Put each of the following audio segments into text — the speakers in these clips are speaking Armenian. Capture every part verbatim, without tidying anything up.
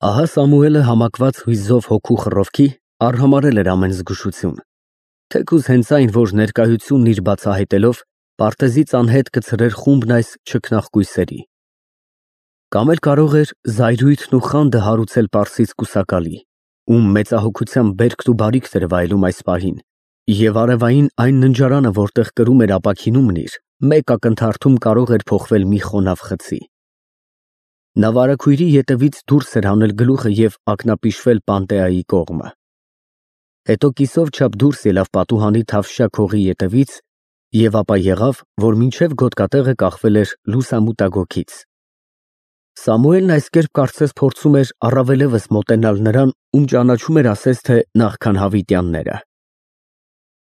Ահա Սամուելը համակված հույզով հոգու խռովքի արհամարհել էր ամեն զգուշություն, թեկուզ հենց այն, որ ներկայությունն իր բացահայտելով պարտեզից անհետ կցրեր խումբն այս չքնաղ կույսերի։ Կամ էլ կարող էր զայրույթն ու խանդը հարուցել պարսից կուսակալի, ում մեծահոգությամբ բերքն ու բարիքն էր վայելում այս պահին, և արևային այն ննջարանը, որտեղ կրում էր ապաքինումն իր, մեկ ակնթարթում կարող էր փոխվել մի խոնավ խցի։ Նա վարագույրի ետևից դուրս էր հանել գլուխը և ակնապիշվել Պանտեայի կողմը։ Հետո կիսով չափ դուրս ելավ պատուհանի թավշյա քողի ետևից և ապա եղավ, որ մինչև գոտկատեղը կախվել էր լուսամուտագոգից։ Սամուելն այս կերպ կարծես փորձում էր առավելևս մոտենալ նրան, ում ճանաչում էր ասես թե նախքան հավիտյանները։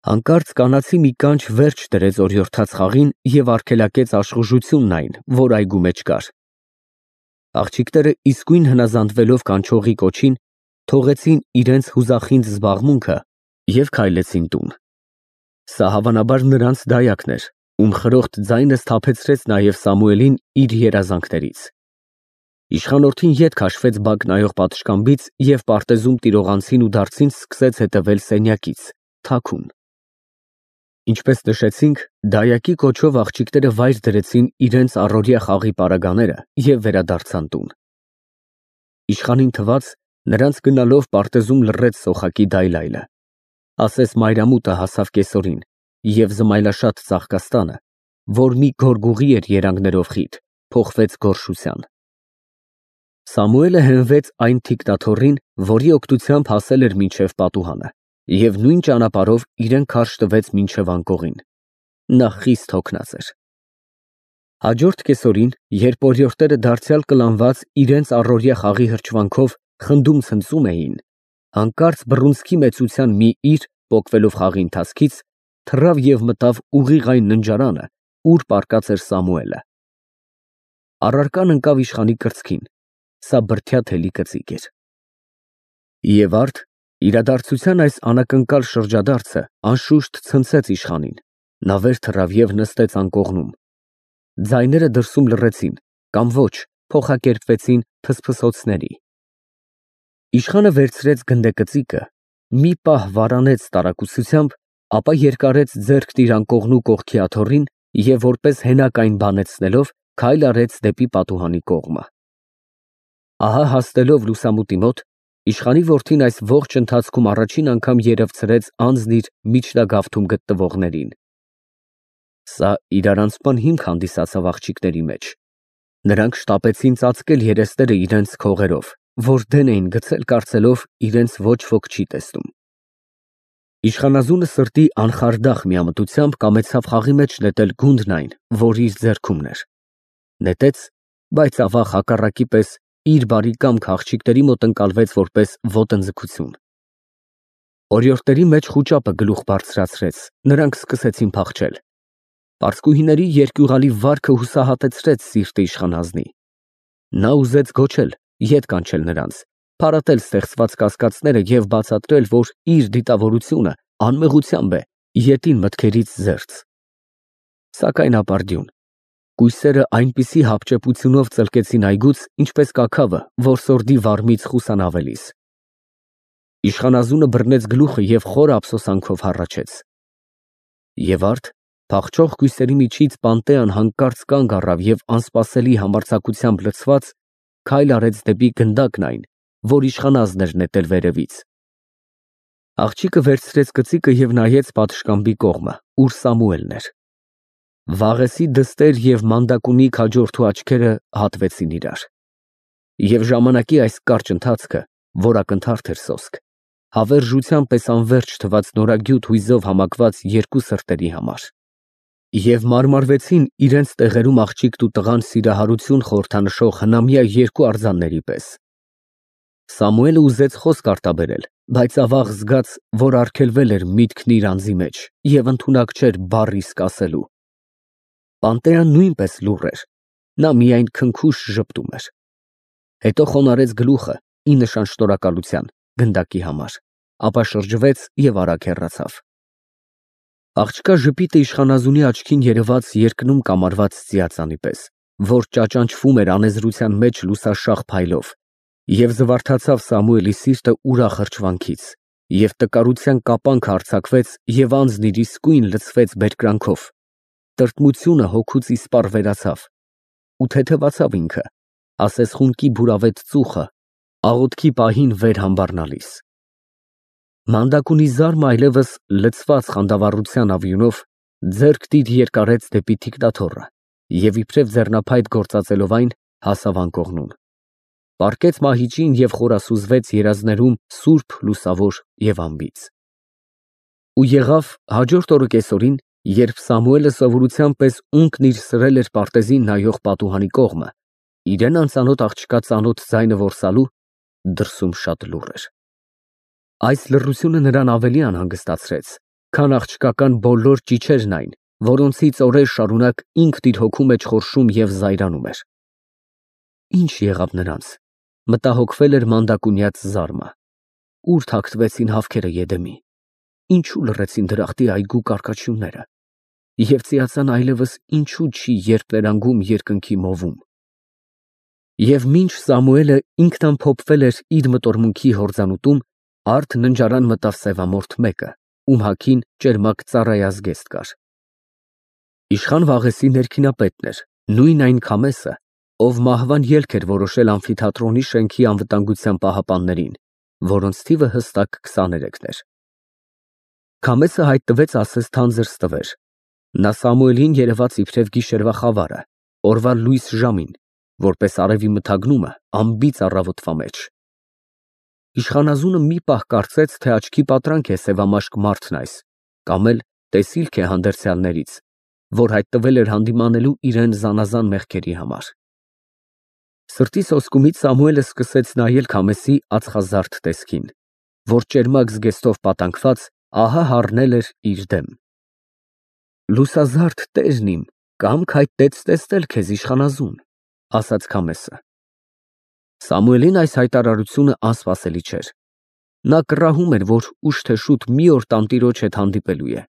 Հանկարծ կանացի մի կանչ վերջ դրեց օրիորդաց խաղին և արգելակեց աշխուժությունն այն, որ այգու մեջ կար։ Աղջիկները իսկույն հնազանդվելով կանչողի կոչին, թողեցին իրենց հուզախինդ զբաղմունքը և քայլեցին տուն։ Սա հավանաբար նրանց դայակն էր, ում խրոխտ ձայնը սթափեցրեց նաև Սամուելին իր երազանքներից։ Իշխանորդին ետ քաշվեց բակ նայող պատշգամբից և պարտեզում տիրողանցին ու դարձին սկսեց հետևել սենյակից, թաքուն։ Ինչպես նշեցինք, դայակի կոչով աղջիկները վայր դրեցին իրենց առօրյա խաղի պարագաները և վերադարձան տուն։ Իշխանին թվաց, նրանց գնալով պարտեզում լռեց սոխակի դայլայլը, ասես մայրամուտը հասավ կեսօրին, և զմայլաշատ ծաղկաստանը, որ մի գորգուղի էր երանգներով խիտ, փոխվեց գորշության։ Սամուելը հենվեց այն թիկնաթոռին, որի օգնությամբ հասել էր մինչև պատուհանը, և նույն ճանապարհով իրեն քարշ տվեց մինչև անկողին։ Նա խիստ հոգնած էր։ Հաջորդ կեսօրին, երբ օրիորդները դարձյալ կլանված իրենց առօրյա խաղի հրճվանքով խնդում֊ցնծում էին, հանկարծ բռունցքի մեծության մի իր, պոկվելով խաղի ընթացքից, թռավ և մտավ ուղիղ այն ննջարանը, ուր պառկած էր Սամուելը։ Առարկան ընկավ իշխանի կրծքին, սա բրդյա-թելի կծիկ էր։ Եվ արդ, իրադարձության այս անակնկալ շրջադարձը անշուշտ ցնցեց իշխանին, նա վեր թռավ և նստեց անկողնում։ Ձայները դրսում լռեցին, կամ ոչ, փոխակերպվեցին փսփսոցների։ Իշխանը վերցրեց գնդեկծիկը, մի պահ վարանեց տարակուսությամբ, ապա երկարեց ձեռքն իր անկողնու կողքի աթոռին և որպես հենակ այն բանեցնելով, քայլ արեց դեպի պատուհանի կողմը։ Ահա հասնելով լուսամուտի մոտ, իշխանի որդին այս ողջ ընթացքում առաջին անգամ երևցրեց անձն իր միջնագավթում գտնվողներին։ Սա իրարանցման հիմք հանդիսացավ աղջիկների մեջ։ Նրանք շտապեցին ծածկել երեսները իրենց քողերով, որ դեն էին գցել կարծելով իրենց ոչ ոք չի տեսնում։ Իշխանազունը սրտի անխարդախ միամտությամբ կամեցավ խաղի մեջ նետել գունդն այն, որ իր ձեռքումն էր։ Նետեց, բայց ավաղ հակառակի պես իր բարի կամքը աղջիկների մոտ ընկալվեց որպես ոտնձգություն։ Օրիորդների մեջ խուճապը գլուխ բարձրացրեց, նրանք սկսեցին փախչել։ Պարսկուհիների երկյուղալի վարքը հուսահատեցրեց սիրտը իշխանազնի։ Նա ուզեց գոչել, ետ կանչել նրանց, փարատել ստեղծված կասկածները և բացատրել, որ իր դիտավորությունը անմեղությամբ է, ետին մտքերից զերծ։ Սակայն ապարդյուն, կույսերը այնպիսի հապճեպությունով ծլկեցին այգուց, ինչպես կաքավը, որ սորդի վարմից խուսանավելիս։ Իշխանազունը բռնեց գլուխը և խոր ափսոսանքով հառաչեց։ Եվ արդ, փախչող կույսերի միջից Պանտեան հանկարծ կանգ առավ և անսպասելի համարձակությամբ լցված, քայլ արեց դեպի գնդակն այն, որ իշխանազնն էր նետել վերևից։ Աղջիկը վերցրեց կծիկը և նայեց պատշգամբի կողմը, ուր Սամուելն էր։ Վաղեսի դստեր և մանդակունի քաջորդու աչքերը հատվեցին իրար։ Եվ ժամանակի այս կարճ ընթացքը, որ ակնթարթ էր սոսկ, հավերժության պես անվերջ թվաց նորագյուտ հույզով համակված երկու սրտերի համար։ Եվ մարմարվեցին իրենց տեղերում աղջիկն ու տղան սիրահարություն խորհրդանշող հնամյա երկու արձանների պես։ Սամուելը ուզեց խոսք արտաբերել, բայց ավաղ զգաց, որ արգելվել էր միտքն իր անձի մեջ և ընդունակ չէր բառ իսկ ասելու։ Պանտեան նույնպես լուռ էր, նա միայն քնքուշ ժպտում էր։ Հետո խոնարհեց գլուխը, ի նշան շնորհակալության, գնդակի համար, ապա շրջվեց և արագ հեռացավ։ Աղջկա ժպիտը իշխանազունի աչքին երևաց երկնում կամարված ծիածանի պես, որ ճաճանճվում էր անեզրության մեջ լուսաշաղ փայլով, Եվ զվարթացավ Սամուելի սիրտը ուրախ հրճվանքից, և տկարության կապանքը արձակվեց, և անձն իր իսկույն լցվեց բերկրանքով, տրտմությունը հոգուց իսպառ վերացավ, ու թեթևացավ ինքը, ասես խունկի բուրավետ ծուխը, աղոթքի պահին վեր համբառնալիս։ Մանդակունի զարմը այլևս լցված խանդավառության ավյունով ձեռք դիր երկարեց դեպի թիկնաթոռը և իբրև ձեռնափայտ գործածելով այն, հասավ անկողնուն, պառկեց մահիճին և խորասուզվեց երազներում սուրբ, լուսավոր և անբիծ։ Ու եղավ հաջորդ օրը կեսօրին, երբ Սամուելը սովորության պես ունկն իր սրել էր պարտեզին նայող պատուհանի կողմը, իրան անծանոթ աղջկա ծանոթ ձայնը որսալու, դրսում շատ լուռ էր։ Այս լռությունը նրան ավելի անհանգստացրեց, քան աղջկական բոլոր ճիչերն այն, որոնցից օրեր շարունակ ինքն իր հոգու մեջ խորշում և զայրանում էր։ Ի՞նչ եղավ նրանց, մտահոգվել էր մանդակունյաց զարմը, ուր թաքնվեցին հավքերը Եդեմի, ինչու լռեցին դրախտի այգու կառքաչյունները, և ծիածան այլևս ինչու չի երպներանգում երկնքի մովում։ Եվ մինչ Սամուելը ինքնամփոփվել էր իր մտորմունքի հորձանուտում, արդ ննջարան մտավ սևամորթ մեկը, ում հագին ճերմակ ծառայազգեստ կար։ Իշխան Վաղեսի ներքինապետն էր, նույն այն Քամեսը, ով մահվան ելք էր որոշել ամֆիթատրոնի շենքի անվտանգության պահապաններին, որոնց թիվը հստակ քսաներեքն էր։ Քամեսը հայտնվեց ասես թանձր ստվեր։ Նա Սամուելին երևաց իբրև գիշերվա խավարը, օրվա լույս ժամին, որպես արևի մթագնումը անբիծ առավոտվա մեջ։ Իշխանազունը մի պահ կարծեց, թե աչքի պատրանք է սևամաշկ մարդն այս, կամ էլ տեսիլք է հանդերձյալներից, որ հայտնվել էր հանդիմանելու իրան զանազան մեղքերի համար։ Սրտի սոսկումից Սամուելը սկսեց նայել Քամեսի ածխազարդ տեսքին, որ ճերմակ զգեստով պատանքված ահա հառնել էր իր դեմ։ Լուսազարդ տերն իմ, կամք հայտնեց տեսնել քեզ իշխանազուն, ասաց Քամեսը։ Սամուելին այս հայտարարությունը անսպասելի չէր։ Նա կռահում էր, որ ուշ թե շուտ մի օր տանտիրոջ հետ հանդիպելու է։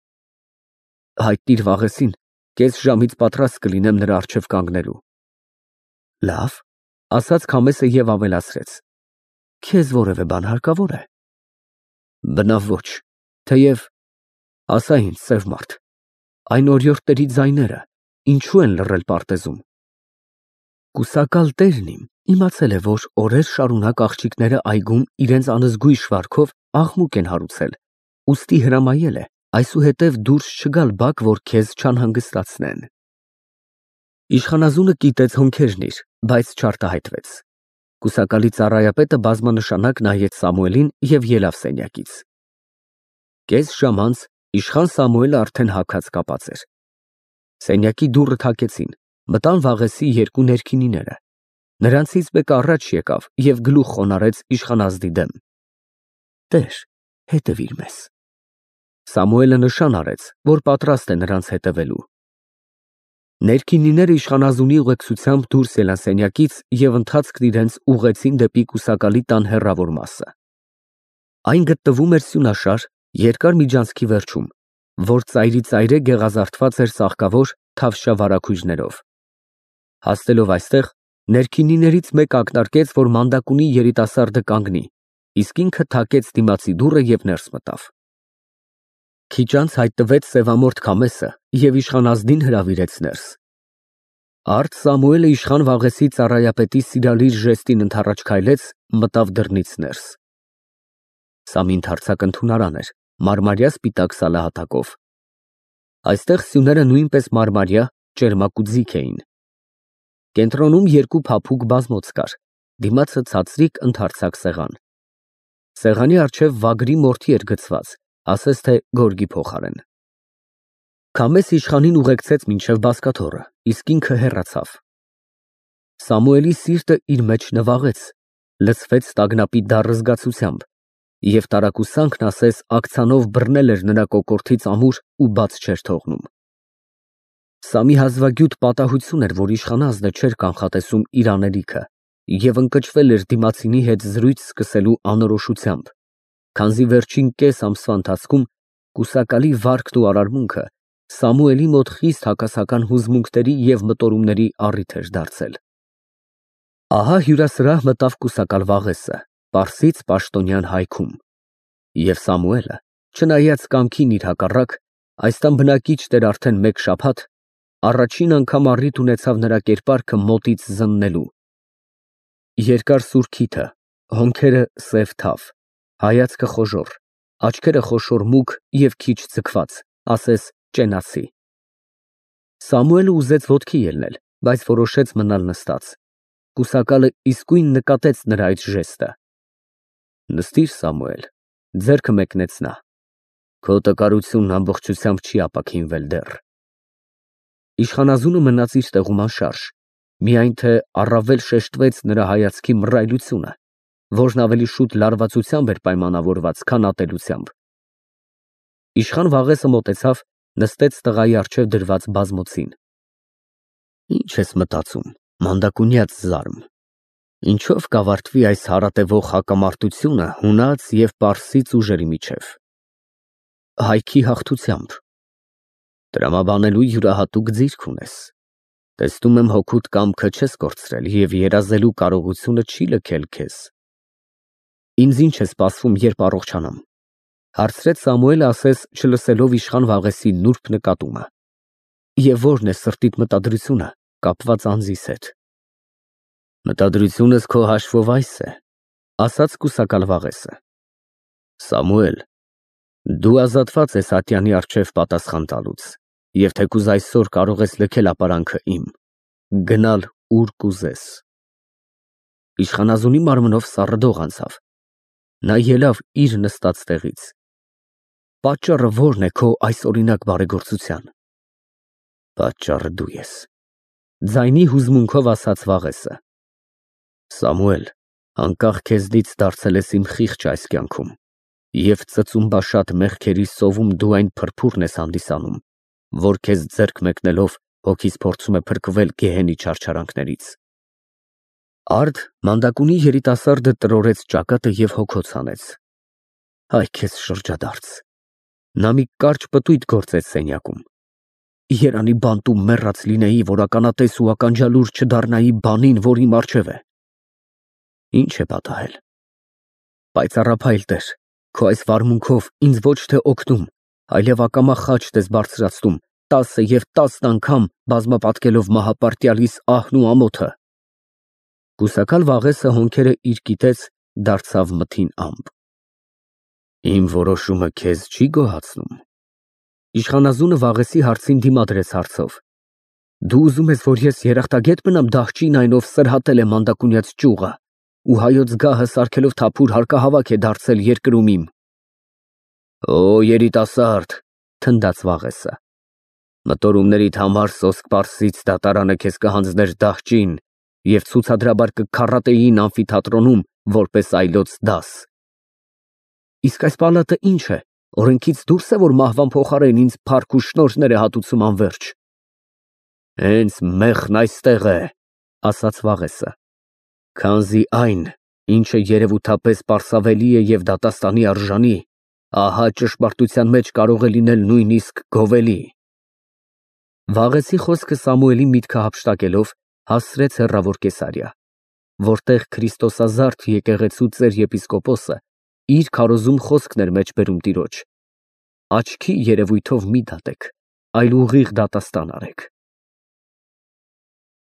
Հայտնիր Վաղեսին, կես ժամից պատրաստ կլինեմ նրա առջև կանգնելու։ Լավ, ասաց Քամեսը և ավելացրեց. Քեզ որևէ բան հարկավոր է։ Բնավ ոչ, թեև ասա ինձ, սև մարդ, այն օրիորդների ձայները ինչու են լռել պարտեզում։ Կուսակալ տերն իմ իմացել է, որ օրեր շարունակ աղջիկները այգում իրենց անզգույշ վարքով աղմուկ են հարուցել, ուստի հրամայել է այսուհետև դուրս չգալ բակ, որ քեզ չանհանգստացնեն։ Իշխանազունը կիտեց հոնքերն իր, բայց չարտահայտվեց։ Կուսակալի ծառայապետը բազմանշանակ նայեց Սամուելին և ելավ սենյակից։ Կես ժամ անց իշխան Սամուելը արդեն հագած կապած էր։ Սենյակի դուռը թակեցին, մտան Վաղեսի երկու ներքինիները։ Նրանցից մեկը առաջ եկավ և գլուխ խոնարհեց իշխանազնի դեմ։ Տեր, հետևիր մեզ։ Սամուելը նշան արեց, որ պատրաստ է նրանց հետևելու։ Ներքինիները իշխանազունի ուղեկցությամբ դուրս ելան սենյակից և ընթացքն իրենց ուղղեցին դեպի կուսակալի տան հեռավոր մասը։ Այն գտնվում էր սյունաշար, երկար միջանցքի վերջում, որ ծայրիծայրե գեղազարդված էր ծաղկավոր թավշյա վարագույրներով։ Հասնելով այստեղ, ներքինիներից մեկը ակնարկեց, որ մանդակունի երիտասարդը կանգնի, իսկ ինքը թակեց դիմացի դուռը և ներս մտավ։ Քիչ անց հայտնվեց սևամորթ Քամեսը և իշխանազնին հրավիրեց ներս։ Արդ Սամուելը իշխան Վաղեսի ծառայապետի սիրալիր ժեստին ընդառաջ քայլեց, մտավ դռնից ներս։ Սա մի ընդարձակ ընդունարան էր, մարմարյա սպիտակ սալահատակով։ Այստեղ սյուները նույնպես մարմարյա, ճերմակ ու ձիգ էին։ Կենտրոնում երկու փափուկ բազմոց կար, դիմացը ցածրիկ ընդարձակ սեղան։ Սեղանի առջև վագրի մորթի էր գցված, ասես թե գորգի փոխարեն։ Քամես իշխանին ուղեկցեց մինչև բազկաթոռը, իսկ ինքը հեռացավ։ Սամուելի սիրտը իր մեջ նվաղեց, լցվեց տագնապի դառը զգացությամբ, և տարակուսանքն ասես աքցանով բռնել էր նրա կոկորդից ամուր ու բաց չէր թողնում։ Սա մի հազվագյուտ պատահություն էր, որ իշխանազնը չէր կանխատեսում իր անելիքը և ընկճվել էր դիմացինի հետ զրույց սկսելու անորոշությամբ, քանզի վերջին կես ամսվա ընթացքում կուսակալի վարքն ու արարմունքը Սամուելի մոտ խիստ հակասական հուզմունքների և մտորումների առիթ էր դարձել։ Ահա հյուրասրահ մտավ կուսակալ Վաղեսը, պարսից պաշտոնյան հայքում, և Սամուելը, չնայած կամքին իր հակառակ, այստեղ բնակիչ էր արդեն մեկ շաբաթ, առաջին անգամ առիթ ունեցավ նրա կերպարքը մոտից զննելու. երկար սուր քիթը, հոնքերը սև թավ, հայացքը խոժոռ, աչքերը խոշոր մուգ և քիչ ձգված, ասես ճենացի։ Սամուելը ուզեց ոտքի ելնել, բայց որոշեց մնալ նստած։ Կուսակալը իսկույն նկատեց նրա այդ ժեստը։ Նստիր, Սամուել, ձեռքը մեկնեց նա, քո տկարությունն ամբողջությամբ չի ապաքինվել դեռ։ Իշխանազունը մնաց իր տեղում անշարժ, միայն թե առավել շեշտվեց նրա հայացքի մռայլությունը, որն ավելի շուտ լարվածությամբ էր պայմանավորված, քան ատելությամբ։ Իշխան Վաղեսը մոտեցավ, նստեց տղայի առջև դրված բազմոցին։ Ինչ ես մտածում, մանդակունյաց զարմ, ինչով կավարտվի այս հարատևող հակամարտությունը հունաց և պարսից ուժերի միջև։ Հայքի հաղթությամբ։ Տրամաբանելու յուրահատուկ ձիրք ունես, տեսնում եմ հոգուդ կամքը չես կորցրել և երազելու կարողությունը չի լքել քեզ։ Ինձ ինչ է սպասվում, երբ առողջանամ, հարցրեց Սամուելը, ասես չլսելով իշխան Վաղեսի նուրբ նկատումը, և ո՞րն է սրտիդ մտադրությունը կապված անձիս հետ։ Մտադրությունս քո հաշվով այս է, ասաց կուսակալ Վաղեսը. Սամուել, դու ազատված ես ատյանի առջև պատասխան տալուց, և թեկուզ այսօր կարող ես լքել ապարանքը իմ, գնալ ուր կուզես։ Իշխանազունի մարմնով սառը դող անցավ, նա ելավ իր նստած տեղից։ Պատճառը ո՞րն է քո այսօրինակ բարեգործության։ Պատճառը դու ես, ձայնի հուզմունքով ասաց Վաղեսը։ Սամուել, անկախ քեզնից դարձել ես իմ խիղճը այս կյանքում, և ծծումբաշատ մեղքերի սովում դու այն փրփուրն ես հանդիսանում, որ քեզ ձեռք մեկնելով հոգիս փորձում է փրկվել գեհենի չարչարանքներից։ Արդ մանդակունի երիտասարդը տրորեց ճակատը և հոգոց հանեց։ Հայ քեզ շրջադարձ։ Նա մի կարճ պտույտ գործեց սենյակում։ Երանի բանտում մեռած լինեի, որ ականատես ու ականջալուր չդառնայի բանին, որ իմ առջև է։ Ինչ է պատահել։ Պայծառափայլ Տեր, քո այս վարմունքով ինձ ոչ թե օգնում, այլև ակամա խաչդ ես բարձրացնում, տասը և տասն անգամ բազմապատկելով մահապարտյալիս ահն ու ամոթը։ Կուսակալ Վաղեսը հոնքերը իր կիտեց, դարձավ մթին ամպ։ Իմ որոշումը քեզ չի գոհացնու՞մ։ Իշխանազունը Վաղեսի հարցին դիմադրեց հարցով. Դու ուզում ես, որ ես երախտագե՞տ մնամ դահճին այն, ով սրհատել է մանդակունյաց ճյուղը ու հայոց գահը սարքելով թափուր հարկահավաք է դարձել երկրում իմ։ Օ, երիտասարդ, թնդաց Վաղեսը, մտորումներիդ համար սոսկ պարսից դատարանը քեզ կհանձներ դահճին և ցուցադրաբար կքառատեին ամֆիթատրոնում որպես այլոց դաս։ Իսկ այս պալատը ինչ է, օրենքից դուրս է, որ մահվան փոխարեն ինձ փառք ու շնորհներ է հատուցում անվերջ։ Հենց մեղն այստեղ է, ասաց Վաղեսը, քանզի այն, ինչը երևութապես պարսավելի է և դատաստանի արժանի, ահա ճշմարտության մեջ կարող է լինել նույնիսկ գովելի։ Վաղեսի խոսքը Սամուելի միտքը հափշտակելով հասցրեց հեռավոր Կեսարիա, որտեղ քրիստոսազարդ եկեղեցու ծեր-եպիսկոպոսը իր քարոզում խոսքն էր մեջբերում տիրոջ. աչքի երևույթով մի դատեք, այլ ուղիղ դատաստան արեք։